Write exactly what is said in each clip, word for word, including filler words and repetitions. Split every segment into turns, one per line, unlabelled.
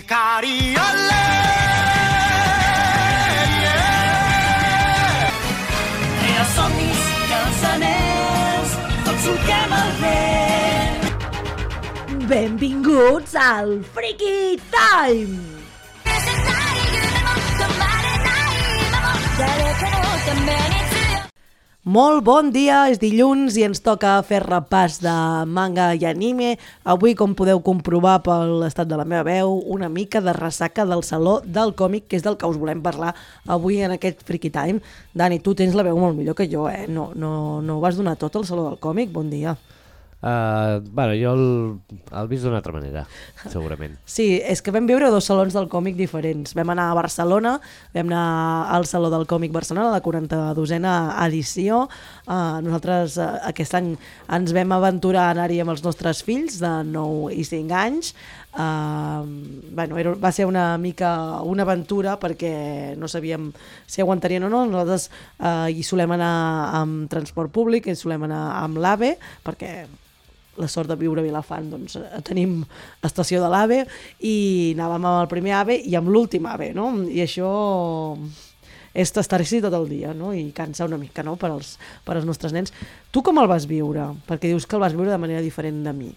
Cariole, yeah. Rere somnis i els anells, tots solquem el vent.
Benvinguts al Freaky Time! Molt bon dia, és dilluns i ens toca fer repàs de manga i anime. Avui, com podeu comprovar per l'estat de la meva veu, una mica de ressaca del Saló del Còmic, que és del que us volem parlar avui en aquest Freaky Time. Dani, tu tens la veu molt millor que jo, eh? No, no, no ho vas donar tot al Saló del Còmic? Bon dia.
Uh, bueno, jo el, el vist d'una altra manera, segurament.
Sí, és que vam viure dos salons del còmic diferents. Vam anar a Barcelona, vam anar al Saló del Còmic Barcelona, la quaranta-dosena edició. Uh, nosaltres uh, aquest any ens vam aventurar a anar-hi amb els nostres fills de nou i cinc anys. Uh, bueno, era, va ser una mica una aventura perquè no sabíem si aguantarien o no. Nosaltres uh, hi solem anar amb transport públic, hi solem anar amb l'AVE, perquè la sort de viure a Vilafant, doncs tenim estació de l'AVE, i anàvem amb el primer AVE i amb l'últim AVE, no? I això és estar-hi tot el dia, no? I cansa una mica, no? Per als, per als nostres nens. Tu com el vas viure? Perquè dius que el vas viure de manera diferent de mi.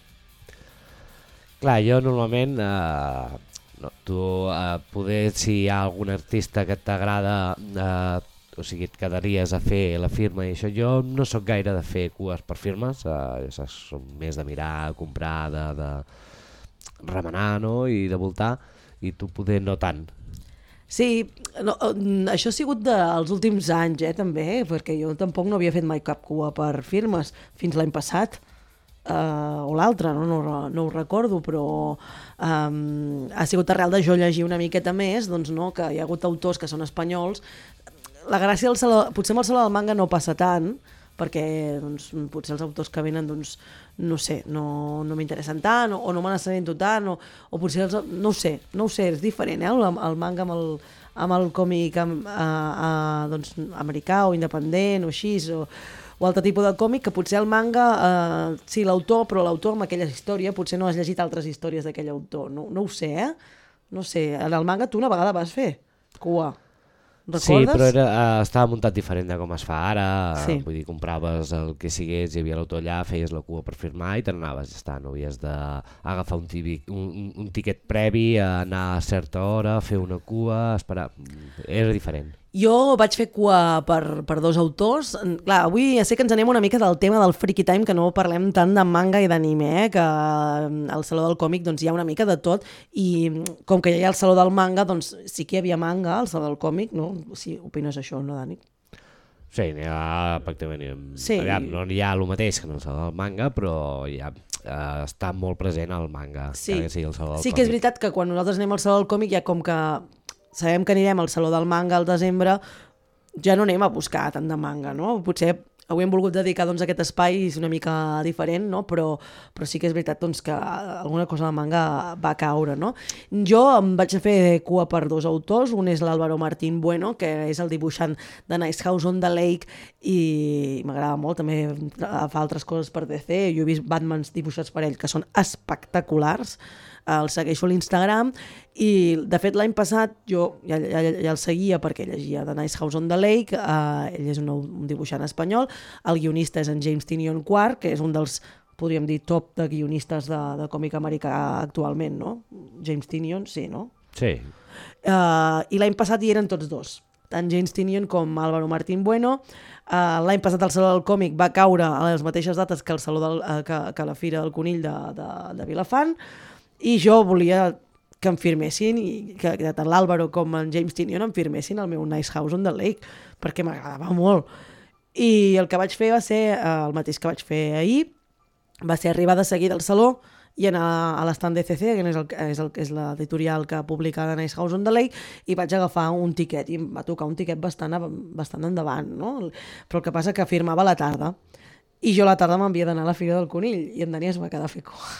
Clar, jo normalment, eh, no, tu eh, poder, si hi ha algun artista que t'agrada, eh, o sigui, et quedaries a fer la firma i això. Jo no sóc gaire de fer cues per firmes, eh, som més de mirar, comprar, de, de remenar, no? I de voltar, i tu poder no tant.
Sí, no, això ha sigut dels últims anys, eh, també, perquè jo tampoc no havia fet mai cap cua per firmes fins l'any passat. Uh, o l'altre, no? No, no ho recordo, però um, ha sigut arrel de jo llegir una miqueta més, doncs, no? Que hi ha hagut autors que són espanyols. La gràcia del saló, potser amb el Saló del Manga no passa tant, perquè doncs, potser els autors que venen, doncs, no sé, no, no m'interessen tant, o, o no me n'assabento tant, o, o potser els, no ho sé, no ho sé, és diferent, eh? el, el manga amb el, amb el còmic amb, a, a, doncs, americà o independent o així, o, o altre tipus de còmic, que potser el manga, eh, sí, l'autor, però l'autor amb aquella història potser no has llegit altres històries d'aquell autor, no, no ho sé, eh? No sé, en el manga tu una vegada vas fer cua. Recordes?
Sí, però era, uh, estava muntat diferent de com es fa ara,
sí.
Vull dir, compraves el que sigués, hi havia l'autor allà, feies la cua per firmar i te n'anaves, ja està, no havies d'agafar un, un, un tiquet previ, anar a certa hora, fer una cua, esperar, era diferent.
Jo vaig fer cua per, per dos autors. Clar, avui ja sé que ens anem una mica del tema del Freaky Time, que no parlem tant de manga i d'anime, eh? Que al Saló del Còmic doncs, hi ha una mica de tot, i com que ja hi ha el Saló del Manga, doncs sí que hi havia manga al Saló del Còmic, no? Si opines això, no, Dani?
Sí, n'hi ha pràcticament...
Sí.
Aviam, no hi ha el mateix que en el Saló del Manga, però ja eh, està molt present el manga.
Sí,
que sigui el Saló del
sí
Còmic.
Que és veritat que quan nosaltres anem al Saló del Còmic ja com que sabem que anirem al Saló del Manga al desembre, ja no anem a buscar tant de manga, no? Potser avui hem volgut dedicar doncs, a aquest espai una mica diferent, no? Però, però sí que és veritat doncs, que alguna cosa de manga va caure, no? Jo em vaig fer cua per dos autors, un és l'Álvaro Martín Bueno, que és el dibuixant de Nice House on the Lake, i m'agrada molt, també fa altres coses per D C, jo he vist Batmans dibuixats per ell que són espectaculars, el segueixo a l'Instagram, i de fet l'any passat jo ja, ja, ja el seguia perquè llegia The Nice House on the Lake, uh, ell és un, un dibuixant espanyol, el guionista és en James Tynion Quark, que és un dels, podríem dir, top de guionistes de, de còmic americà actualment, no? James Tynion, sí, no?
Sí.
Uh, I l'any passat hi eren tots dos, tant James Tynion com Álvaro Martín Bueno. Uh, l'any passat el Saló del Còmic va caure a les mateixes dates que, el Saló del, uh, que, que la Fira del Conill de, de, de Vilafant, i jo volia que em firmessin, i que, que tant l'Àlvaro com en James Tynion em firmessin el meu Nice House on the Lake, perquè m'agradava molt. I el que vaig fer va ser eh, el mateix que vaig fer ahir, va ser arribar de seguida al saló i anar a l'estand D C C, que és, el, és, el, és l'editorial que publica The Nice House on the Lake, i vaig agafar un tiquet, i em va tocar un tiquet bastant, bastant endavant, no? Però el que passa que firmava a la tarda, i jo a la tarda m'havia d'anar a la Fira del Conill, i en Dani es va quedar a fer cua.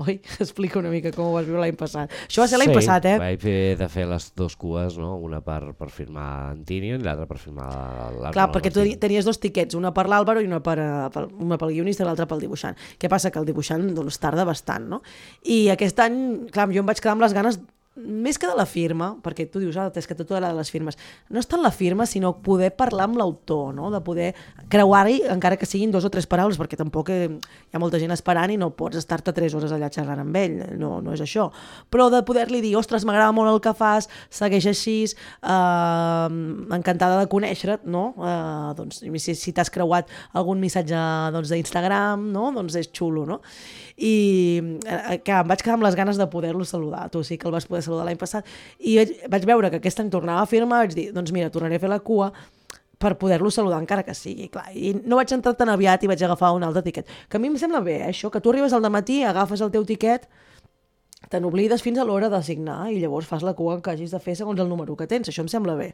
Oi? Explica una mica com ho vas viure l'any passat. Això va ser l'any
sí,
passat, eh?
vaig haver de fer les dues cues, no? Una per, per firmar en Tinian i l'altra per firmar l'Àlvaro.
Clar, perquè tu tenies dos tiquets, una per l'Àlvaro i una, per, per, una pel guionista i l'altra pel dibuixant. Què passa? Que el dibuixant doncs, tarda bastant, no? I aquest any, clar, jo em vaig quedar amb les ganes més que de la firma, perquè tu dius, ah, és que a tu t'agrada les firmes. No és tant la firma, sinó poder parlar amb l'autor, no? De poder creuar-hi, encara que siguin dos o tres paraules, perquè tampoc hi ha molta gent esperant i no pots estar-te tres hores allà xerrant amb ell, no, no és això. Però de poder-li dir, ostres, m'agrada molt el que fas, segueix així, eh, encantada de conèixer-te, no? Eh, doncs, si, si t'has creuat algun missatge doncs, d'Instagram, no? Doncs és xulo, no? I eh, que em vaig quedar amb les ganes de poder-lo saludar. Tu sí que el vas poder saludar l'any passat. I vaig, vaig veure que aquest any tornava a firmar, vaig dir, doncs mira, tornaré a fer la cua per poder-lo saludar encara que sigui. Clar, i no vaig entrar tan aviat i vaig agafar un altre tiquet. Que a mi em sembla bé, eh, això, que tu arribes al dematí, agafes el teu tiquet, te n'oblides fins a l'hora de signar i llavors fas la cua que hagis de fer segons el número que tens. Això em sembla bé.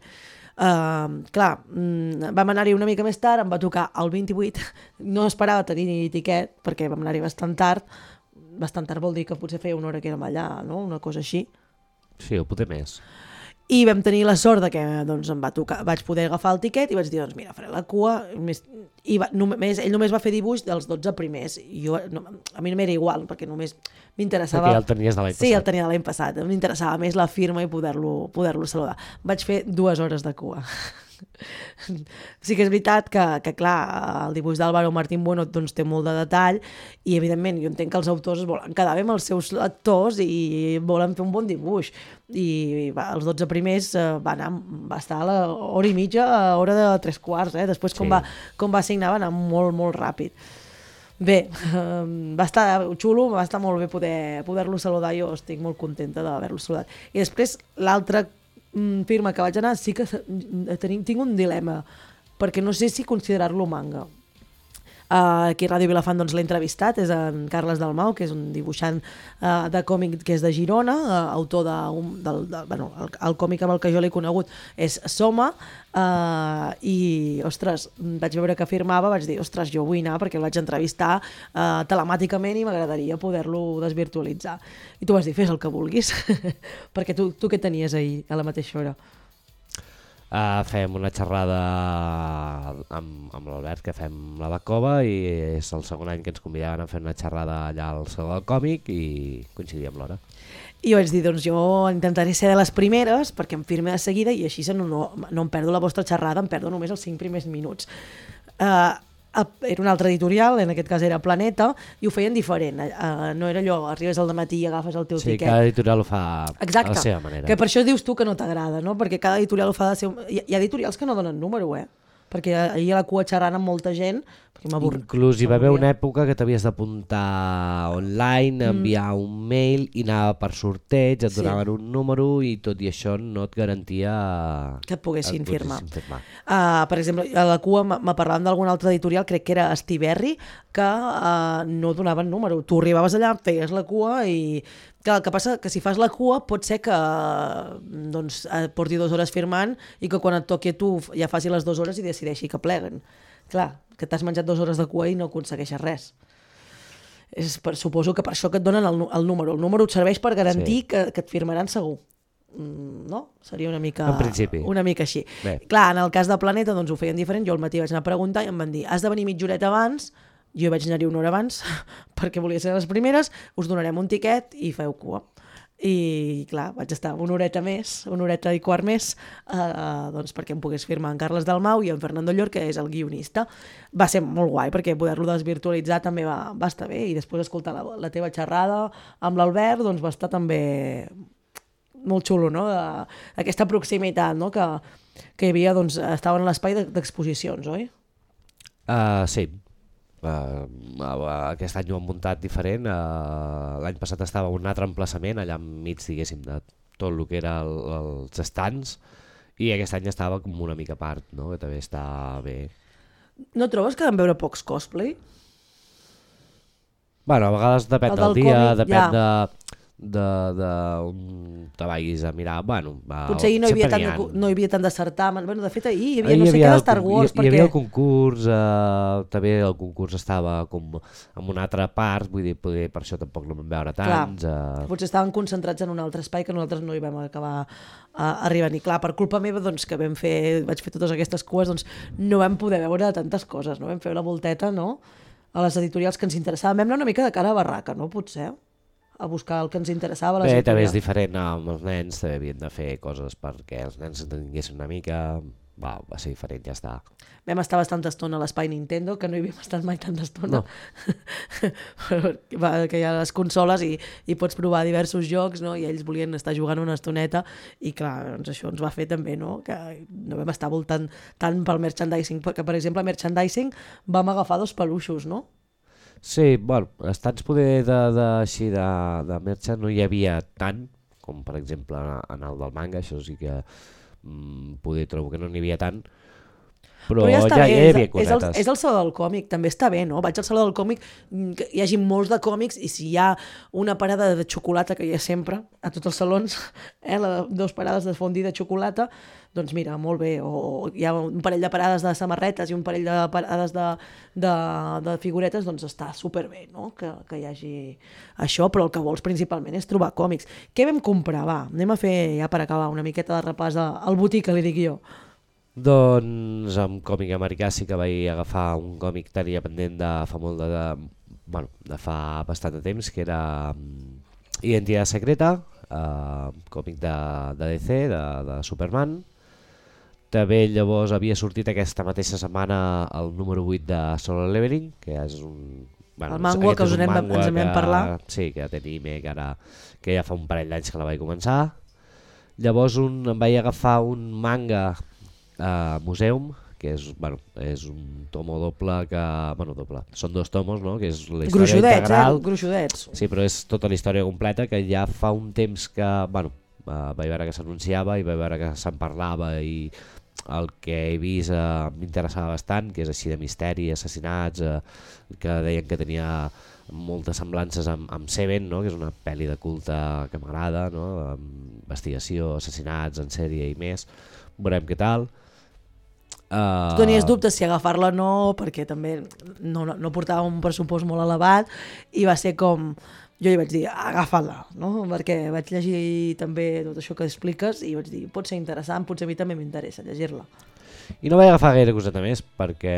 Uh, clar, mm, vam anar-hi una mica més tard, em va tocar el vint-i-vuit, no esperava tenir tiquet perquè vam anar-hi bastant tard. Bastant tard vol dir que potser feia una hora que érem allà, no? Una cosa així.
Sí, o potser més.
I vam tenir la sort de que doncs, em va tocar, vaig poder agafar el tiquet i vaig dir, doncs mira, faré la cua. I va, només, ell només va fer dibuix dels dotze primers. I jo, no, a mi m'era igual, perquè només m'interessava...
Perquè ja el tenies de l'any passat.
Sí, el tenia de l'any passat. M'interessava més la firma i poder-lo poder-lo saludar. Vaig fer dues hores de cua. Sí que és veritat que, que clar, el dibuix d'Álvaro Martín Bueno doncs, té molt de detall i evidentment jo entenc que els autors volen quedar bé amb els seus lectors i volen fer un bon dibuix i va, els dotze primers eh, va, anar, va estar a l'hora i mitja a hora de tres quarts, eh? Després com, sí. va, com va signar va anar molt molt ràpid. Bé, eh, va estar xulo, va estar molt bé poder, poder-lo saludar, jo estic molt contenta d'haver-lo saludat. I després l'altre firma que vaig anar, sí que tenim, tinc un dilema, perquè no sé si considerar-lo manga. Uh, aquí a Ràdio Vilafant doncs, l'he entrevistat, és en Carles Dalmau, que és un dibuixant uh, de còmic que és de Girona, uh, autor de, un, del, de, bueno, el, el còmic amb el que jo l'he conegut és Soma, uh, i, ostres, vaig veure que firmava, vaig dir, ostres, jo vull anar perquè el vaig entrevistar uh, telemàticament i m'agradaria poder-lo desvirtualitzar. I tu vas dir, fes el que vulguis, perquè tu, tu què tenies ahir a la mateixa hora?
Uh, fem una xerrada amb, amb l'Albert, que fem la de Cova, i és el segon any que ens convidaven a fer una xerrada allà al Saló del Còmic i coincidíem l'hora.
I jo vaig dir, doncs jo intentaré ser de les primeres perquè em firme de seguida i així no, no, no em perdo la vostra xerrada, em perdo només els cinc primers minuts. Uh, era un altre editorial, en aquest cas era Planeta, i ho feien diferent. Uh, no era allò, arribes al dematí i agafes el teu
sí,
tiquet.
Sí, cada editorial ho fa
Exacte,
a la seva manera.
Que per això dius tu que no t'agrada, no? Perquè cada editorial ho fa de ser... Hi, hi ha editorials que no donen número, eh? Perquè ahir a la cua xerrant amb molta gent, perquè m'avorria.
Inclús hi va haver una època que t'havies d'apuntar online, enviar mm. un mail i anava per sorteig, et donaven sí. un número i tot i això no et garantia
que et poguessin, et firmar.
firmar.
Uh, per exemple, a la cua me parlaven d'algun altre editorial, crec que era Estiberri, que uh, no donaven número. Tu arribaves allà, feies la cua i... Clar, el que passa que si fas la cua pot ser que doncs, porti dues hores firmant i que quan et toqui a tu ja faci les dues hores i decideixi que pleguen. Clar, que t'has menjat dues hores de cua i no aconsegueixes res. És per, suposo que per això que et donen el, el número. El número et serveix per garantir sí. que, que et firmaran segur. Mm, no? Seria una mica,
en principi.
Una mica així.
Bé.
Clar, en el cas de Planeta doncs, ho feien diferent. Jo al matí vaig anar a preguntar i em van dir has de venir mitja horeta abans. Jo vaig anar-hi una hora abans perquè volia ser les primeres, us donarem un tiquet i feu cua. I clar, vaig estar una horeta més, una horeta i quart més, eh, doncs perquè em pogués firmar en Carles Dalmau i en Fernando Llor, que és el guionista. Va ser molt guai perquè poder-lo desvirtualitzar també va, va estar bé i després escoltar la, la teva xerrada amb l'Albert doncs va estar també molt xulo, no? De, aquesta proximitat, no? Que, que hi havia, doncs, estaven a l'espai d'exposicions, oi?
Uh, sí. Uh, aquest any ho han muntat diferent. Uh, l'any passat estava un altre emplaçament allà enmig, diguéssim, de tot el que era el, els estants, i aquest any estava com una mica a part, no? Que també està bé. No
trobes que vam veure pocs cosplay?
Bueno, a vegades depèn del, del dia, còmic, depèn ja. de, de, de un, te vagis a mirar, bueno... Va,
potser ahir no hi havia tant de, no hi havia tant de certamen, bueno, de fet ahir hi havia ahir no sé què de Star Wars,
hi,
perquè...
Hi havia el concurs, eh, també el concurs estava com en una altra part, vull dir, poder, per això tampoc no vam veure tants.
Clar,
eh...
potser estaven concentrats en un altre espai que nosaltres no hi vam acabar a arribar, ni clar, per culpa meva, doncs, que vam fer, vaig fer totes aquestes cues, doncs no vam poder veure tantes coses, no? Vam fer la volteta, no?, a les editorials que ens interessaven. Vam anar una mica de cara a barraca, no?, potser, a buscar el que ens interessava.
Bé, també és diferent amb els nens, també havien de fer coses perquè els nens entenguessin una mica, va, va ser diferent, ja està.
Vam estar bastanta estona a l'espai Nintendo, que no hi havíem estat mai tanta estona, no. que hi ha les consoles i, i pots provar diversos jocs, no? I ells volien estar jugant una estoneta i clar, doncs això ens va fer també, no?, que no vam estar voltant tant pel merchandising, perquè per exemple a merchandising vam agafar dos peluixos, no?
Sí, bueno, estats poder de, de, així de, de merxa no hi havia tant, com per exemple en el del manga, això sí que mm, poder trobo que no n'hi havia tant, però, però ja, ja, ja hi havia cosetes.
És el, és el saló del còmic, també està bé, no? Vaig al saló del còmic, que hi hagi molts de còmics i si hi ha una parada de xocolata, que hi ha sempre, a tots els salons, eh, la, dos parades de fondue de xocolata, doncs mira, molt bé, o hi ha un parell de parades de samarretes i un parell de parades de, de, de figuretes, doncs està superbé, no?, que, que hi hagi això, però el que vols principalment és trobar còmics. Què vam comprar? Va, anem a fer, ja per acabar, una miqueta de repàs al botic, que li dic jo.
Doncs amb còmic americà sí que vaig agafar un còmic que tenia pendent de fa molt de, de, bueno, de fa bastant de temps, que era um, Identitat Secreta, uh, còmic de, de D C, de, de Superman. També llavors havia sortit aquesta mateixa setmana el número vuit de Solo Leveling, que és un... Bueno,
el manga que us anem, ens en vam parlar.
Sí, que té anime, que, ara, que ja fa un parell d'anys que la vaig començar. Llavors un, em vaig agafar un manga a uh, Museum, que és, bueno, és un tomo doble que... Bueno, doble, són dos tomos, no?, que és la història
gruixudets,
integral.
Eh? Gruixudets.
Sí, però és tota la història completa, que ja fa un temps que... Bueno, uh, vaig veure que s'anunciava i vaig veure que se'n parlava i el que he vist uh, m'interessava bastant, que és així de misteri, assassinats, uh, que deien que tenia moltes semblances amb, amb Seven, no?, que és una pel·li de culte que m'agrada, no?, investigació, assassinats en sèrie i més. Veurem què tal. Uh...
Tu tenies dubtes si agafar-la o no, perquè també no, no, no portava un pressupost molt elevat i va ser com... Jo li vaig dir, agafa-la, no? Perquè vaig llegir també tot això que expliques i vaig dir, pot ser interessant, potser a mi també m'interessa llegir-la.
I no vaig agafar gaire coseta més perquè,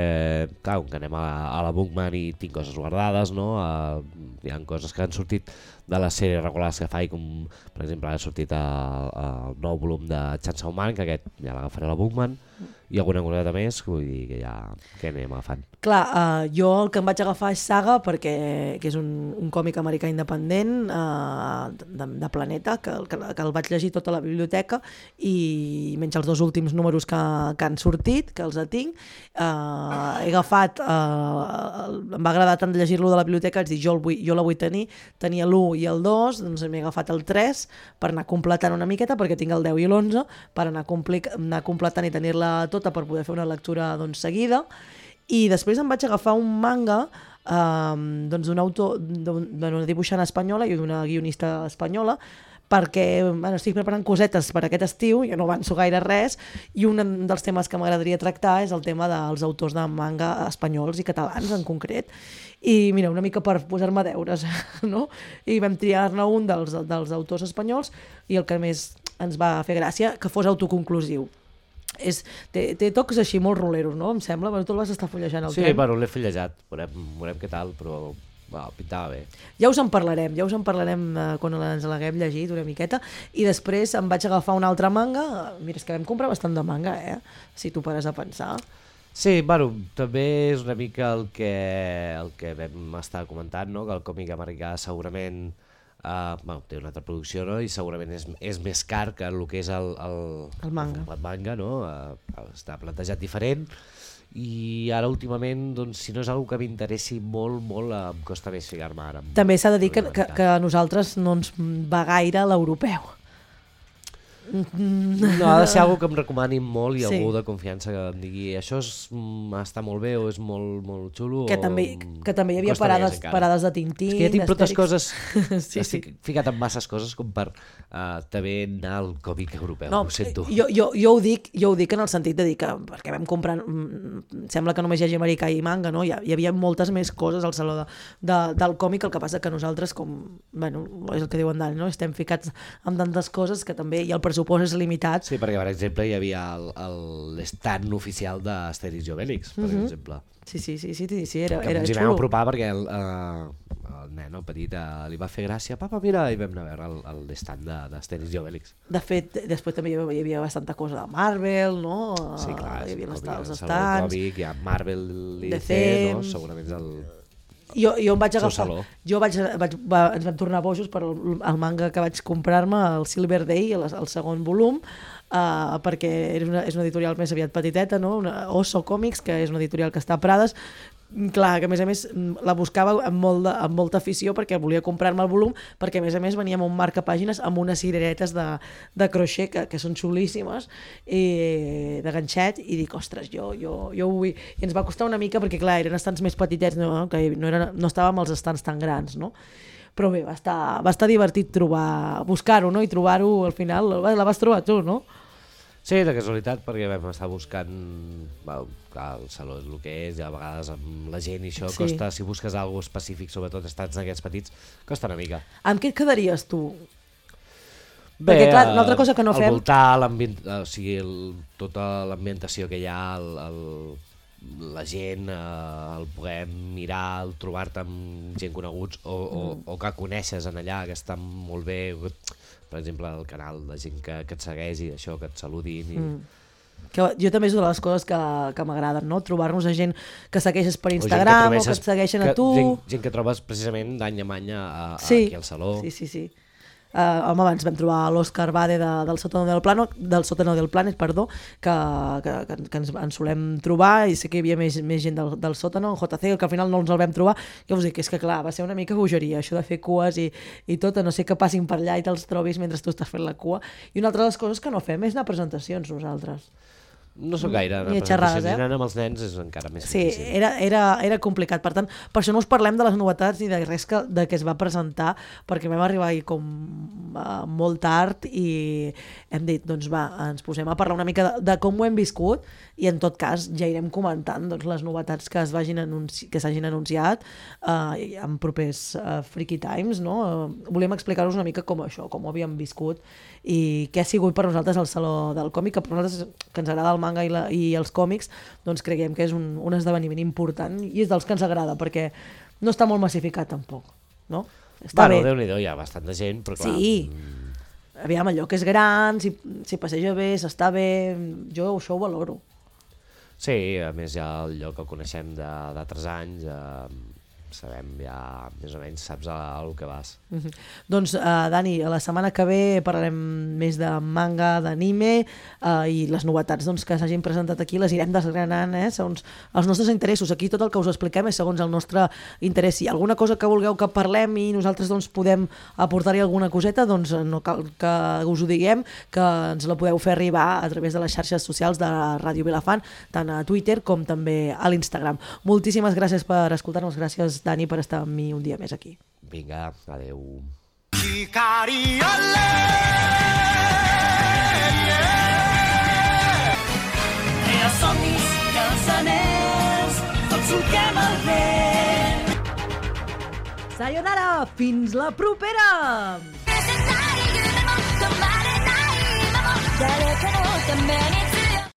clar, que anem a, a la Bookman i tinc coses guardades, no? Uh, hi ha coses que han sortit de les sèries regulars que faig, com per exemple ha sortit el, el nou volum de Chainsaw Man, que aquest ja l'agafaré a la Bookman, i alguna coseta més, vull dir que ja que anem agafant.
Clar, uh, jo el que em vaig agafar és Saga, perquè que és un, un còmic americà independent uh, de, de Planeta, que, que, que el vaig llegir tota la biblioteca i menys els dos últims números que, que han sortit, que els tinc. Uh, he agafat, uh, em va agradar tant llegir-lo de la biblioteca, és dir, jo, el vull, jo la vull tenir, tenia l'u i el dos, doncs m'he agafat el tres per anar completant una miqueta, perquè tinc el deu i l'onze, per anar, anar completant i tenir-la tota per poder fer una lectura doncs, seguida. I després em vaig agafar un manga um, doncs, d'un autor, d'una dibuixant espanyola i d'una guionista espanyola, perquè bueno, estic preparant cosetes per aquest estiu, jo no avanço gaire res, i un dels temes que m'agradaria tractar és el tema dels autors de manga espanyols i catalans en concret. I mira, una mica per posar-me deures, no? I vam triar-ne un dels, dels autors espanyols i el que més ens va fer gràcia, que fos autoconclusiu. És, té, té tocs així molt roleros, no? Em sembla, bueno, tu el vas estar fullejant al
sí,
tren.
Sí, bueno, l'he fullejat, veurem, veurem què tal, però bueno, pintava bé.
Ja us en parlarem, ja us en parlarem eh, quan ens l'haguem llegit una miqueta, i després em vaig agafar un altre manga, mira, és que vam comprar bastant de manga, eh? Si tu pares a pensar.
Sí, bueno, també és una mica el que, el que vam estar comentant, no? Que el còmic americà segurament Uh, bueno, té una altra producció, no? I segurament és, és més car que el que és el, el,
el manga,
el manga no? Uh, està plantejat diferent i ara últimament doncs, si no és una que m'interessi molt, molt uh, em costa més ficar-me ara.
També s'ha de dir que, que, que a nosaltres no ens va gaire l'europeu.
No, ha de ser algo que em recomanin molt i
Sí.
algú de confiança que em digui això és, mm, està molt bé o és molt, molt xulo.
Que
o...
també, que també hi havia
costa
parades,
més, encara.
parades de Tintín,
És que ja tinc moltes
d'Astèrix.
coses,
Sí,
estic ficat en masses coses com per uh, també anar al còmic europeu,
No,
ho sento.
jo, jo, jo, ho dic, jo ho dic en el sentit de dir que, perquè vam comprar, mm, sembla que només hi hagi americà i manga, no? Hi, ha, hi havia moltes més coses al saló de, de, del còmic, el que passa que nosaltres, com, bueno, és el que diuen Dani, no? Estem ficats amb tantes coses que també, i el pressupost és limitat.
Sí, perquè per exemple hi havia l'estand oficial d'Astèrix i Obélix, per
Mhm.
exemple.
Sí, sí, sí, sí, sí, sí era,
Que
era
ens hi vam
xulo.
apropar perquè el, uh, el nen, el petit, uh, li va fer gràcia. Papa, mira, i vam anar a veure l'estand d'Astèrix i Obélix.
De fet, després també hi havia, hi havia bastanta cosa de Marvel, no?
Sí, clar,
hi havia
és
les,
el
els
còmic,
estants.
el còmic, hi ha Marvel i
D
D
C,
C, no? Segurament és el...
Jo, jo em vaig
Seu
agafar,
saló.
jo vaig, vaig, va, ens vam tornar bojos per el, el manga que vaig comprar-me, el Silver Day, el, el segon volum, uh, perquè és una, és una editorial més aviat petiteta, no? Una Oso Comics, que és una editorial que està a Prades. Clar, que a més a més la buscava amb, molt de, amb molta afició perquè volia comprar-me el volum, perquè a més a més venia amb un marcapàgines amb unes cireretes de, de croixer que, que són xulíssimes, i de ganxet, i dic, ostres, jo, jo, jo ho vull. I ens va costar una mica perquè clar, eren estants més petitets, no? Que no, eren, no estàvem als estants tan grans, no? Però bé, va estar, va estar divertit trobar, buscar-ho, no? I trobar-ho al final, la vas trobar tu, no?
Sí, de casualitat, perquè vam estar buscant... Well, clar, el saló és el que és, i a vegades amb la gent i això
Sí.
costa, si busques alguna cosa específic, sobretot estats d'aquests petits, costa una mica.
Amb què et quedaries tu? Perquè, clar, una altra cosa que no
el
fem-
voltar, l'ambient, o sigui, el, tota l'ambientació que hi ha, el, el, la gent, eh, el poder mirar, el trobar-te amb gent coneguts o, o,
Mm.
o que coneixes en allà, que estan molt bé, per exemple, el canal de gent que, que et segueix i això, que et saludin. I...
Mm. Que jo també és una de les coses que, que m'agraden, no? Trobar-nos a gent que segueixes per
O gent
Instagram o que,
trobesses
et segueixen
que,
a tu.
Gent, gent que trobes precisament d'any en any a, a,
Sí.
aquí al saló.
Sí, sí, sí. Uh, home, abans vam trobar l'Òscar Bade de, del Sótano del Plano, del Sótano del Planet, perdó, que, que, que, que ens, ens solem trobar, i sé que hi havia més, més gent del, del Sótano, en J C, que al final no ens el vam trobar. Jo us dic, és que clar, va ser una mica bogeria, això de fer cues i, i tot, a no ser que passin per allà i te'ls trobis mentre tu estàs fent la cua. I una altra de les coses que no fem és anar a presentacions nosaltres.
No sóc gaire,
Ni a
a
xerrades,
presentacions,
eh?
i anant amb els nens és encara més
Sí,
difícil.
era, era, era complicat. Per tant, per això no us parlem de les novetats ni de res que, de què es va presentar, perquè vam arribar ahir com uh, molt tard i hem dit, doncs va, ens posem a parlar una mica de, de com ho hem viscut i en tot cas ja irem comentant doncs, les novetats que es vagin anunci que s'hagin anunciat uh, en propers uh, Freaky Times, no? Uh, volem explicar-vos una mica com això, com ho havíem viscut i què ha sigut per nosaltres el Saló del Còmic, que per nosaltres que ens agrada el manga i, la, i els còmics, doncs creiem que és un, un esdeveniment important i és dels que ens agrada perquè no està molt massificat tampoc, no? Està
Bueno,
bé.
Déu-n'hi-do, hi ha bastanta gent, però clar...
Sí.
mm,
Aviam, allò que és gran, si, si passeja bé, s'està bé, jo això ho valoro.
Sí, a més ja el lloc el coneixem de- d'altres anys, eh, sabem ja més o menys, saps a, a el que vas.
Uh -huh. Doncs, uh, Dani, la setmana que ve parlarem més de manga, d'anime, uh, i les novetats doncs, que s'hagin presentat aquí les irem desgranant, eh, segons els nostres interessos. Aquí tot el que us expliquem és segons el nostre interès. Si hi ha alguna cosa que vulgueu que parlem i nosaltres doncs, podem aportar-hi alguna coseta, doncs no cal que us ho diguem, que ens la podeu fer arribar a través de les xarxes socials de Ràdio Vilafant, tant a Twitter com també a l'Instagram. Moltíssimes gràcies per escoltar-nos, gràcies Dani per estar amb mi un dia més aquí.
Vinga, adeu.
Crea somnis, que els anells tots solquem el vent.
Sayonara, fins la propera!
誰かのために